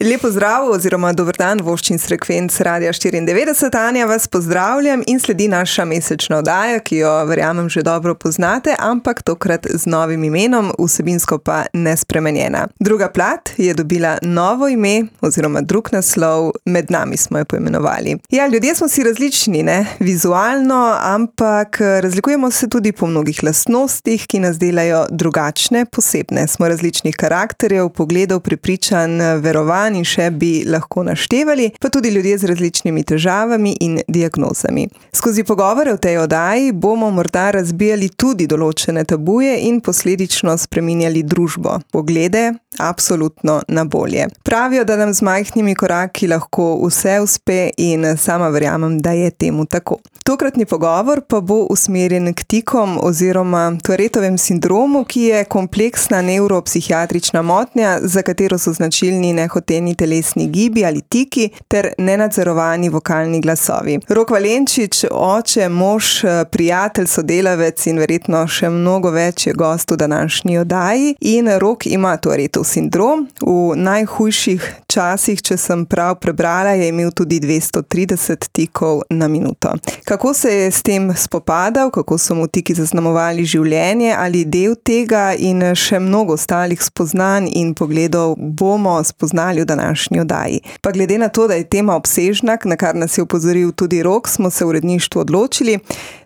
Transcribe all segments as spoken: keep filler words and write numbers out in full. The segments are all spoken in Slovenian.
Lepo zdrav oziroma dober dan, voščin s frekvenc Radia štiriindevetdeset. Anja, vas pozdravljam in sledi naša mesečna oddaja, ki jo verjamem že dobro poznate, ampak tokrat z novim imenom, vsebinsko pa nespremenjena. Druga plat je dobila novo ime oziroma drug naslov, Med nami smo jo poimenovali. Ja, ljudje smo si različni, ne, vizualno, ampak razlikujemo se tudi po mnogih lastnostih, ki nas delajo drugačne, posebne. Smo različnih karakterjev, pogledov, prepričanj, verovanj in še bi lahko naštevali, pa tudi ljudje z različnimi težavami in diagnozami. Skozi pogovore v tej oddaji bomo morda razbijali tudi določene tabuje in posledično spreminjali družbo, poglede, absolutno na bolje. Pravijo, da nam z majhnimi koraki lahko vse uspe in sama verjamem, da je temu tako. Tokratni pogovor pa bo usmerjen k tikom oziroma Tourette-ovem sindromu, ki je kompleksna nevropsihiatrična motnja, za katero so značilni nehoteni telesni gibi ali tiki ter nenadzorovani vokalni glasovi. Rok Valenčič, oče, mož, prijatelj, sodelavec in verjetno še mnogo več je gost v današnji oddaji. In Rok ima Tourette-ov sindrom. V najhujših časih, če sem prav prebrala, je imel tudi dvesto trideset tikov na minuto. Kako se je s tem spopadal, kako so mu tiki zaznamovali življenje ali del tega in še mnogo ostalih spoznanj in pogledov bomo spoznali v današnji oddaji. Pa glede na to, da je tema obsežna, na kar nas je opozoril tudi Rok, smo se v uredništvu odločili,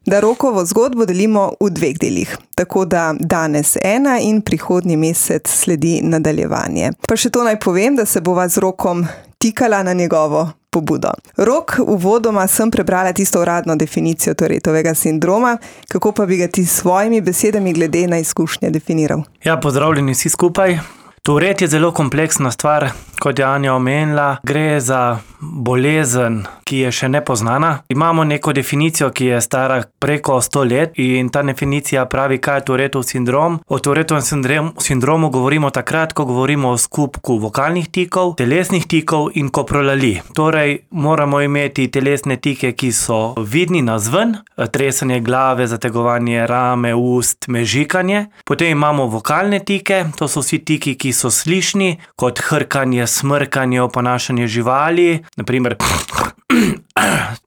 da Rokovo zgodbo delimo v dveh delih. Tako da danes ena in prihodnji mesec sledi nadaljevanje. Pa še to naj povem, da se bova z Rokom tikala na njegovo pobudo. Rok, uvodoma sem prebrala tisto uradno definicijo Tourette-ovega sindroma, kako pa bi ga ti s svojimi besedami glede na izkušnje definiral? Ja, pozdravljeni vsi skupaj. Tourette je zelo kompleksna stvar, kot je Anja omenila. Gre za bolezen, ki je še nepoznana. Imamo neko definicijo, ki je stara preko sto let in ta definicija pravi, kaj je Tourette-ov sindrom. O Tourette-ovem sindrom, sindromu govorimo takrat, ko govorimo o skupku vokalnih tikov, telesnih tikov in koprolali. Torej, moramo imeti telesne tike, ki so vidni navzven, tresanje glave, zategovanje rame, ust, mežikanje. Potem imamo vokalne tike, to so vsi tiki, ki so slišni, kot hrkanje, smrkanje, oponašanje živali, naprimer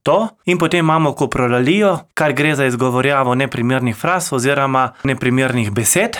to. In potem imamo koprolalijo, kar gre za izgovorjavo neprimernih fraz oziroma neprimernih besed.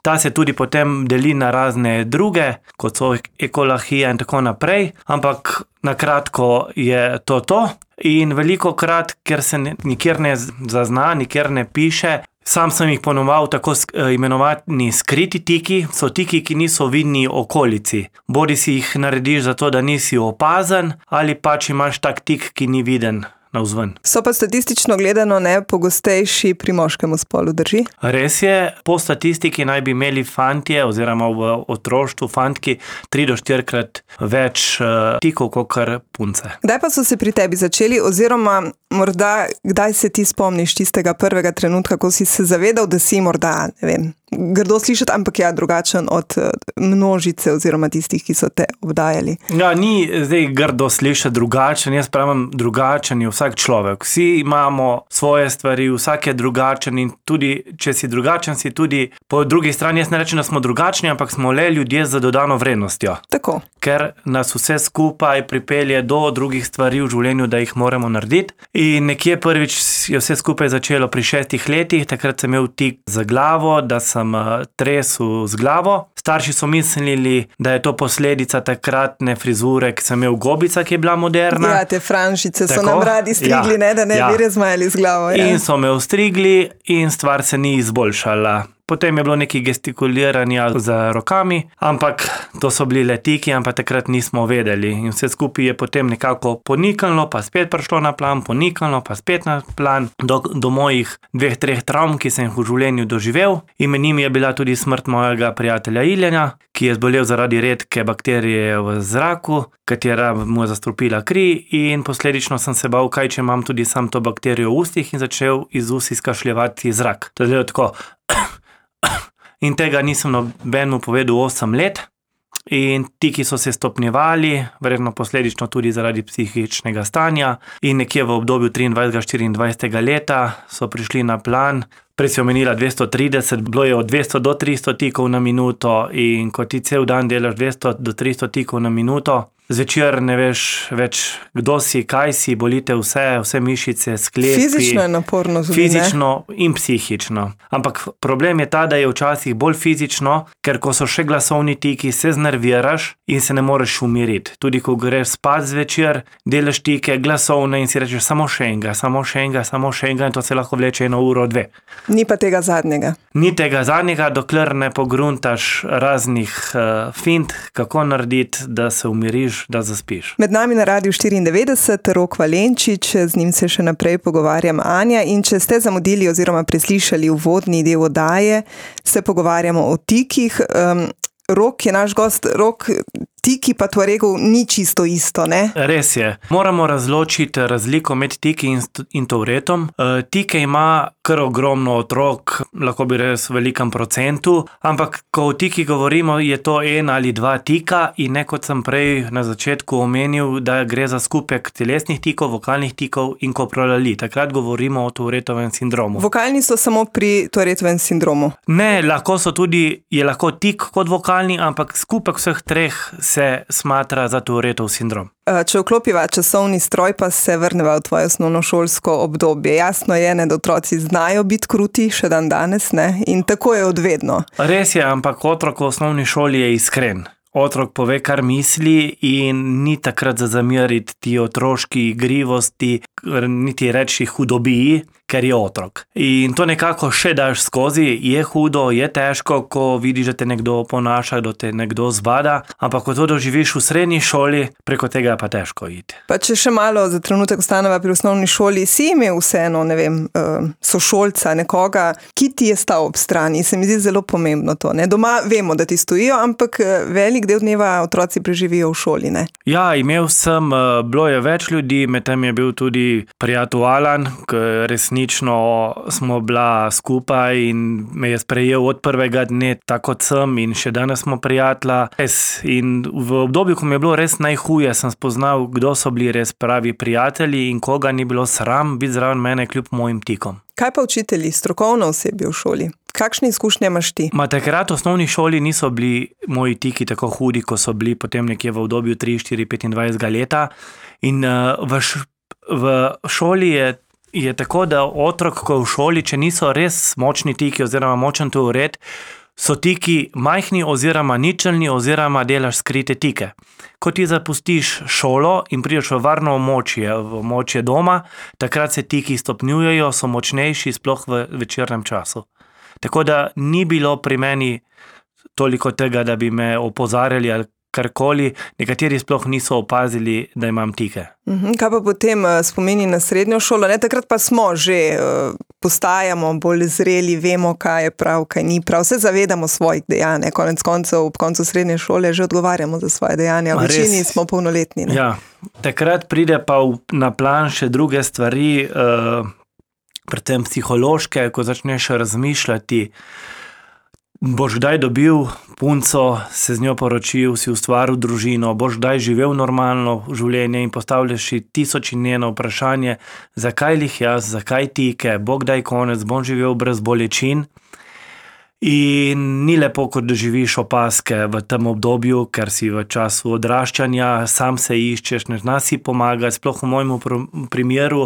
Ta se tudi potem deli na razne druge, kot so ekolahija in tako naprej, ampak na kratko je to to. In veliko krat, ker se nikjer ne zazna, nikjer ne piše, sam sem jih ponoval tako imenovani skriti tiki, so tiki, ki niso vidni okolici. Bodi si jih narediš zato, da nisi opazen, ali pač imaš tak tik, ki ni viden navzven. So pa statistično gledano ne pogostejši pri moškemu spolu, drži? Res je, po statistiki naj bi imeli fantje oziroma v otroštvu fantki tri do štirikrat več uh, tikov kakor punce. Kdaj pa so se pri tebi začeli oziroma morda kdaj se ti spomniš tistega prvega trenutka, ko si se zavedal, da si morda, ne vem, grdo slišati, ampak ja, drugačen od množice oziroma tistih, ki so te obdajali? Ja, ni zdaj grdo slišati drugačen, jaz pravim, drugačen je vsak človek. Vsi imamo svoje stvari, vsak je drugačen in tudi, če si drugačen, si tudi po drugi strani, jaz ne rečem, da smo drugačni, ampak smo le ljudje z dodano vrednostjo. Tako. Ker nas vse skupaj pripelje do drugih stvari v življenju, da jih moramo narediti. In nekje prvič je vse skupaj začelo pri šestih letih, takrat sem imel tik za glavo, da sem tresel z glavo. Starši so mislili, da je to posledica takratne frizure, ki sem imel gobica, ki je bila moderna. Ja, te franšice Tako? So nam radi strigli, ja, ne, da ne ja. bi razmajali z glavo. Ja. In so me ostrigli in stvar se ni izboljšala. Potem je bilo nekaj gestikuliranja z rokami, ampak to so bili le tiki, ampak takrat nismo vedeli. In vse skupaj je potem nekako poniknilo, pa spet prišlo na plan, poniknilo, pa spet na plan, do, do mojih dveh, treh travm, ki sem jih v življenju doživel. In med njimi je bila tudi smrt mojega prijatelja Iljana, ki je zbolel zaradi redke bakterije v zraku, katera mu je zastrupila kri in posledično sem se bal, kaj če imam tudi sam to bakterijo v ustih in začel iz ust izkašljevati zrak. To je tako. In tega nisem nobenemu povedal osem let. in tiki so se stopnjevali, verjetno posledično tudi zaradi psihičnega stanja, in nekje v obdobju triindvajsetega štiriindvajsetega leta so prišli na plan. Prej si omenila dvesto trideset, bilo je od dvesto do tristo tikov na minuto, in ko ti cel dan delaš dvesto do tristo tikov na minuto, zvečer ne veš več, kdo si, kaj si, bolite vse, vse mišice, sklepi. Fizično je naporno tudi, Fizično in psihično. Ampak problem je ta, da je včasih bolj fizično, ker ko so še glasovni tiki, se znerviraš in se ne moreš umiriti. Tudi ko greš spat zvečer, delaš tike glasovne in si rečeš samo še enega, samo še enega, samo še enega, in to se lahko vleče eno uro, dve. Ni pa tega zadnjega. Ni tega zadnjega, dokler ne pogruntaš raznih uh, fint, kako narediti, da se umiriš, da zaspiš. Med nami na Radiu štiriindevetdeset Rok Valenčič, z njim se še naprej pogovarjam Anja, in če ste zamudili oziroma preslišali uvodni del oddaje, se pogovarjamo o tikih. Um, Rok je naš gost. Rok, tiki pa Tuaregov ni čisto isto, ne? Res je. Moramo razločiti razliko med tiki in, in Touretom. E, tike ima kar ogromno otrok, lahko bi res v velikem procentu, ampak ko o tiki govorimo, je to en ali dva tika, in ne kot sem prej na začetku omenil, da gre za skupek telesnih tikov, vokalnih tikov in koprolali. Takrat govorimo o Touretovem sindromu. Vokalni so samo pri Touretovem sindromu? Ne, lahko so tudi, je lahko tik kot vokalni, ampak skupek vseh treh se smatra za Touretov sindrom. Če vklopiva časovni stroj, pa se vrneva v tvoje osnovnošolsko obdobje. Jasno je, ne, da otroci znajo biti kruti, še dan danes, ne? In tako je odvedno. Res je, ampak otrok v osnovni šoli je iskren. Otrok pove, kar misli, in ni takrat za zameriti ti otroški igrivosti, niti reči hudobiji, ker je otrok. In to nekako še daš skozi, je hudo, je težko, ko vidiš, da te nekdo ponaša, da te nekdo zbada, ampak ko to doživiš v srednji šoli, preko tega pa težko iti. Pa če še malo za trenutek ostaneva pri osnovni šoli, si imel vseeno, ne vem, sošolca, nekoga, ki ti je stal ob strani, se mi zdi zelo pomembno to, ne? Doma vemo, da ti stojijo, ampak velik del dneva otroci preživijo v šoli, ne? Ja, imel sem, bilo je več ljudi, med tem je bil tudi prijatelj Alan, resnično smo bila skupaj in me je sprejel od prvega dne, tako kot sem, in še danes smo prijatelja. In v obdobju, ko mi je bilo res najhuje, sem spoznal, kdo so bili res pravi prijatelji in koga ni bilo sram biti zraven mene kljub mojim tikom. Kaj pa učitelji, strokovno osebje v šoli? Kakšne izkušnje imaš ti? Ma takrat v osnovni šoli niso bili moji tiki tako hudi, ko so bili potem nekje v obdobju tri, štiri, petindvajsetega leta. In uh, v, š, v šoli je, je tako, da otrok, ko v šoli, če niso res močni tiki oziroma močen Touret, so tiki majhni oziroma ničelni oziroma delaš skrite tike. Ko ti zapustiš šolo in prideš v varno območje, v območje doma, takrat se tiki stopnjujejo, so močnejši, sploh v večernem času. Tako da ni bilo pri meni toliko tega, da bi me opozarjali ali karkoli, nekateri sploh niso opazili, da imam tike. Uhum, kaj pa potem spomini na srednjo šolo? Ne, takrat pa smo že, postajamo bolj zreli, vemo, kaj je prav, kaj ni prav, se zavedamo svojih dejanj, konec koncev, ob koncu srednje šole že odgovarjamo za svoje dejanja, v večini smo polnoletni. Ne? Ja, takrat pride pa v, na plan še druge stvari, uh, predvsem psihološke, ko začneš razmišljati, boš kdaj dobil punco, se z njo poročil, si ustvaril družino, boš kdaj živel normalno življenje in postavljaš si tisoč in eno vprašanje, zakaj lih jaz, zakaj tike, bo kdaj konec, bom živel brez bolečin. In ni lepo, ko doživiš opaske v tem obdobju, ker si v času odraščanja, sam se iščeš, ne znaš si pomagati, sploh v mojem primeru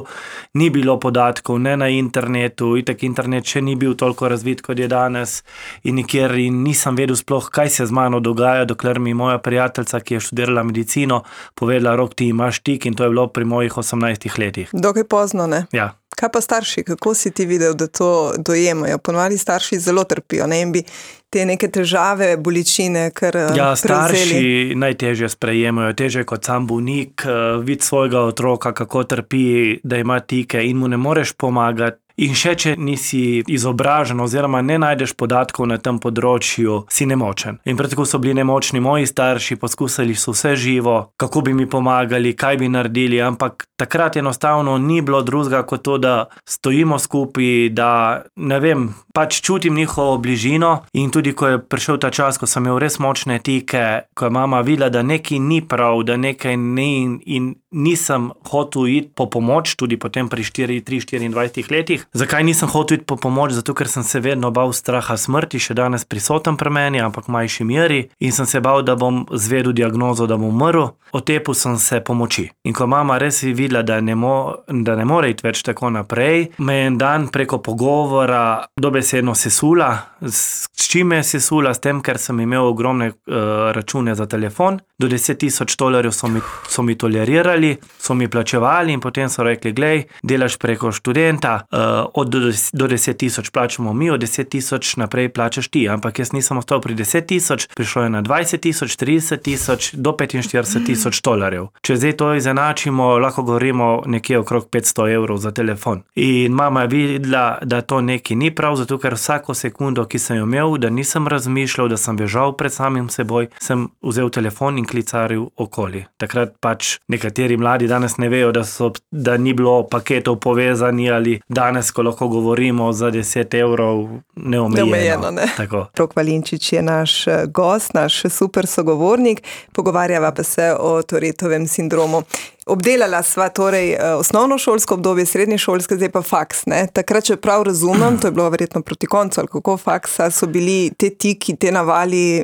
ni bilo podatkov, ne na internetu, itak internet še ni bil toliko razvit, kot je danes, in nikjer in nisem vedel sploh, kaj se z mano dogaja, dokler mi moja prijateljica, ki je študirala medicino, povedala, Rok, ti imaš tik, in to je bilo pri mojih osemnajstih letih. Dokaj pozno, ne? Ja. Kaj pa starši, kako si ti videl, da to dojemajo? Ponovadi starši zelo trpijo, ne, in bi te neke težave, bolečine kar prevzeli. Ja, starši najtežje sprejemajo, težje kot sam bolnik, vid svojega otroka, kako trpi, da ima tike in mu ne moreš pomagati. in še če nisi izobražen oziroma ne najdeš podatkov na tem področju, si nemočen. In prav tako so bili nemočni moji starši, poskusili so vse živo, kako bi mi pomagali, kaj bi naredili, ampak takrat enostavno ni bilo drugega kot to, da stojimo skupaj, da ne vem, pač čutim njihovo bližino in tudi ko je prišel ta čas, ko sem imel res močne tike, ko je mama videla, da nekaj ni prav, da nekaj ni in nisem hotel iti po pomoč, tudi potem pri štiri, tri, štiriindvajsetih letih. Zakaj nisem hotel iti po pomoč? Zato, ker sem se vedno bal straha smrti, še danes prisoten pri meni, ampak v manjši meri, in sem se bal, da bom zvedel diagnozo, da bom umrl. Otepil sem se pomoči. In ko mama res je videla, da ne, mo, da ne more iti več tako naprej, me je en dan preko pogovora dobesedno sesula. S, s čim me je sesula? S tem, ker sem imel ogromne uh, račune za telefon. Do deset tisoč dolarjev so mi, so mi tolerirali, so mi plačevali in potem so rekli, glej, delaš preko študenta, uh, od do, do deset tisoč plačamo mi, od deset tisoč naprej plačaš ti. Ampak jaz nisem ostal pri deset tisoč, prišlo je na dvajset tisoč, trideset tisoč, do petinštirideset tisoč dolarjev. Če zdaj to izenačimo, lahko govorimo nekje okrog petsto evrov za telefon. In mama je videla, da to nekaj ni prav, zato ker vsako sekundo, ki sem jo imel, da nisem razmišljal, da sem bežal pred samim seboj, sem vzel telefon in klicaril okoli. Takrat pač nekateri mladi danes ne vejo, da, so, da ni bilo paketov povezani ali danes, ko lahko govorimo za deset evrov neomejeno. Neomejeno, ne. Tako. Rok Valinčič je naš gost, naš super sogovornik, pogovarjava pa se o Tourettovem sindromu. Obdelala sva torej osnovnošolsko obdobje, srednješolske, zdaj pa faks, ne? Takrat, če prav razumem, to je bilo verjetno proti koncu, ali kako faksa, so bili te tiki, te navali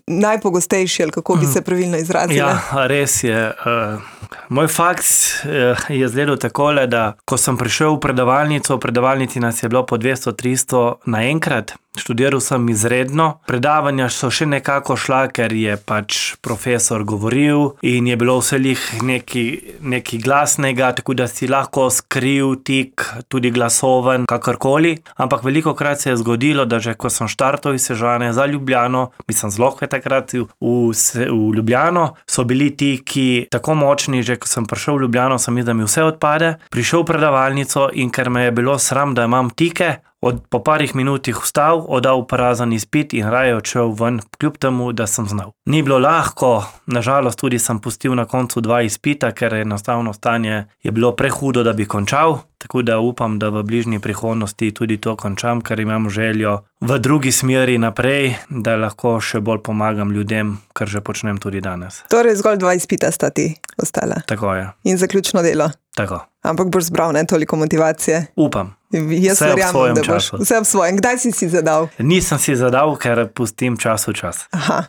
najpogostejši, ali kako bi se pravilno izrazili? Ja, res je. Moj faks je izgledal takole, da ko sem prišel v predavalnico, v predavalnici nas je bilo po dvesto tristo naenkrat, študiral sem izredno, predavanja so še nekako šla, ker je pač profesor govoril in je bilo vselih nekaj, nekaj glasnega, tako da si lahko skril tik, tudi glasoven, kakorkoli, ampak veliko krat se je zgodilo, da že ko sem štartal iz Sežane za Ljubljano, mislim zelo takrat v, v, v Ljubljano, so bili ti, ki tako močni, že ko sem prišel v Ljubljano, sem mislil, da mi vse odpade, prišel v predavalnico in ker me je bilo sram, da imam tike, od, po parih minutih vstal, oddal prazen izpit in raje odšel ven, kljub temu, da sem znal. Ni bilo lahko, nažalost tudi sem pustil na koncu dva izpita, ker enostavno stanje je bilo prehudo, da bi končal, tako da upam, da v bližnji prihodnosti tudi to končam, ker imam željo v drugi smeri naprej, da lahko še bolj pomagam ljudem, kar že počnem tudi danes. Torej zgolj dva izpita sta ti ostala. Tako je. In zaključno delo. Tako. Ampak boš zbral, ne, toliko motivacije. Upam. Jaz vse verjamem, v svojem da boš, času. Vse v svojem. Kdaj si si zadal? Nisem si zadal, ker pustim čas v čas. Aha.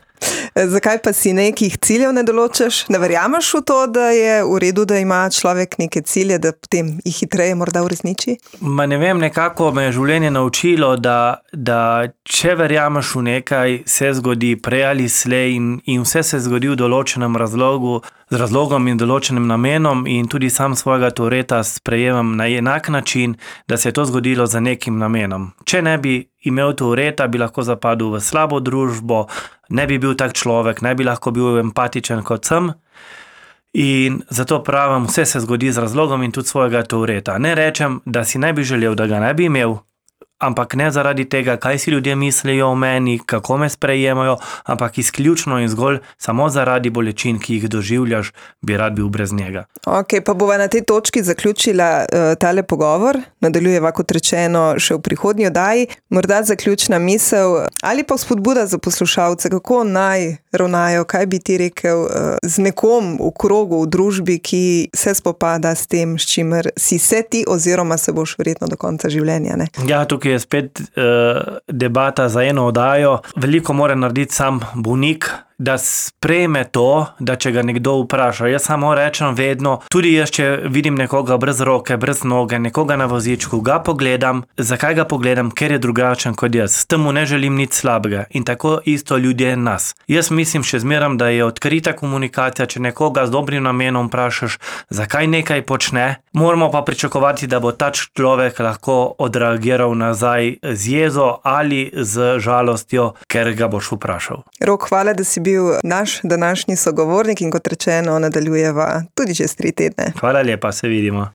Zakaj pa si nekih ciljev ne določaš? Ne verjameš v to, da je v redu, da ima človek neke cilje, da potem jih hitreje morda uresniči? Ma ne vem, nekako me je življenje naučilo, da, da če verjameš v nekaj, se zgodi prej ali slej in, in vse se zgodi v določenem razlogu, z razlogom in določenim namenom in tudi sam svojega Touretta sprejemam na enak način, da se je to zgodilo za nekim namenom. Če ne bi imel Touretta, bi lahko zapadel v slabo družbo, ne bi bil tak človek, ne bi lahko bil empatičen kot sem. In zato pravim, vse se zgodi z razlogom in tudi svojega Touretta. Ne rečem, da si ne bi želel, da ga ne bi imel, ampak ne zaradi tega, kaj si ljudje mislijo o meni, kako me sprejemajo, ampak izključno in zgolj samo zaradi bolečin, ki jih doživljaš, bi rad bil brez njega. Ok, pa bova na tej točki zaključila uh, tale pogovor, nadaljujeva kot rečeno še v prihodnji oddaji. Morda zaključna misel ali pa spodbuda za poslušalce, kako naj ravnajo, kaj bi ti rekel uh, z nekom v krogu, v družbi, ki se spopada s tem, s čimer si se ti oziroma se boš verjetno do konca življenja, ne? Ja, tukaj je spet uh, debata za eno oddajo. Veliko mora narediti sam bolnik, da sprejme to, da če ga nekdo vpraša. Jaz samo rečem vedno, tudi jaz, če vidim nekoga brez roke, brez noge, nekoga na vozičku, ga pogledam. Zakaj ga pogledam? Ker je drugačen kot jaz. S tem mu ne želim nič slabega. In tako isto ljudje nas. Jaz mislim še zmeram, da je odkrita komunikacija, če nekoga z dobrim namenom vprašaš, zakaj nekaj počne, moramo pa pričakovati, da bo ta človek lahko odreagiral nazaj z jezo ali z žalostjo, ker ga boš vprašal. Rok, hvala, da si bil naš današnji sogovornik in kot rečeno nadaljujeva tudi čez tri tedne. Hvala lepa, se vidimo.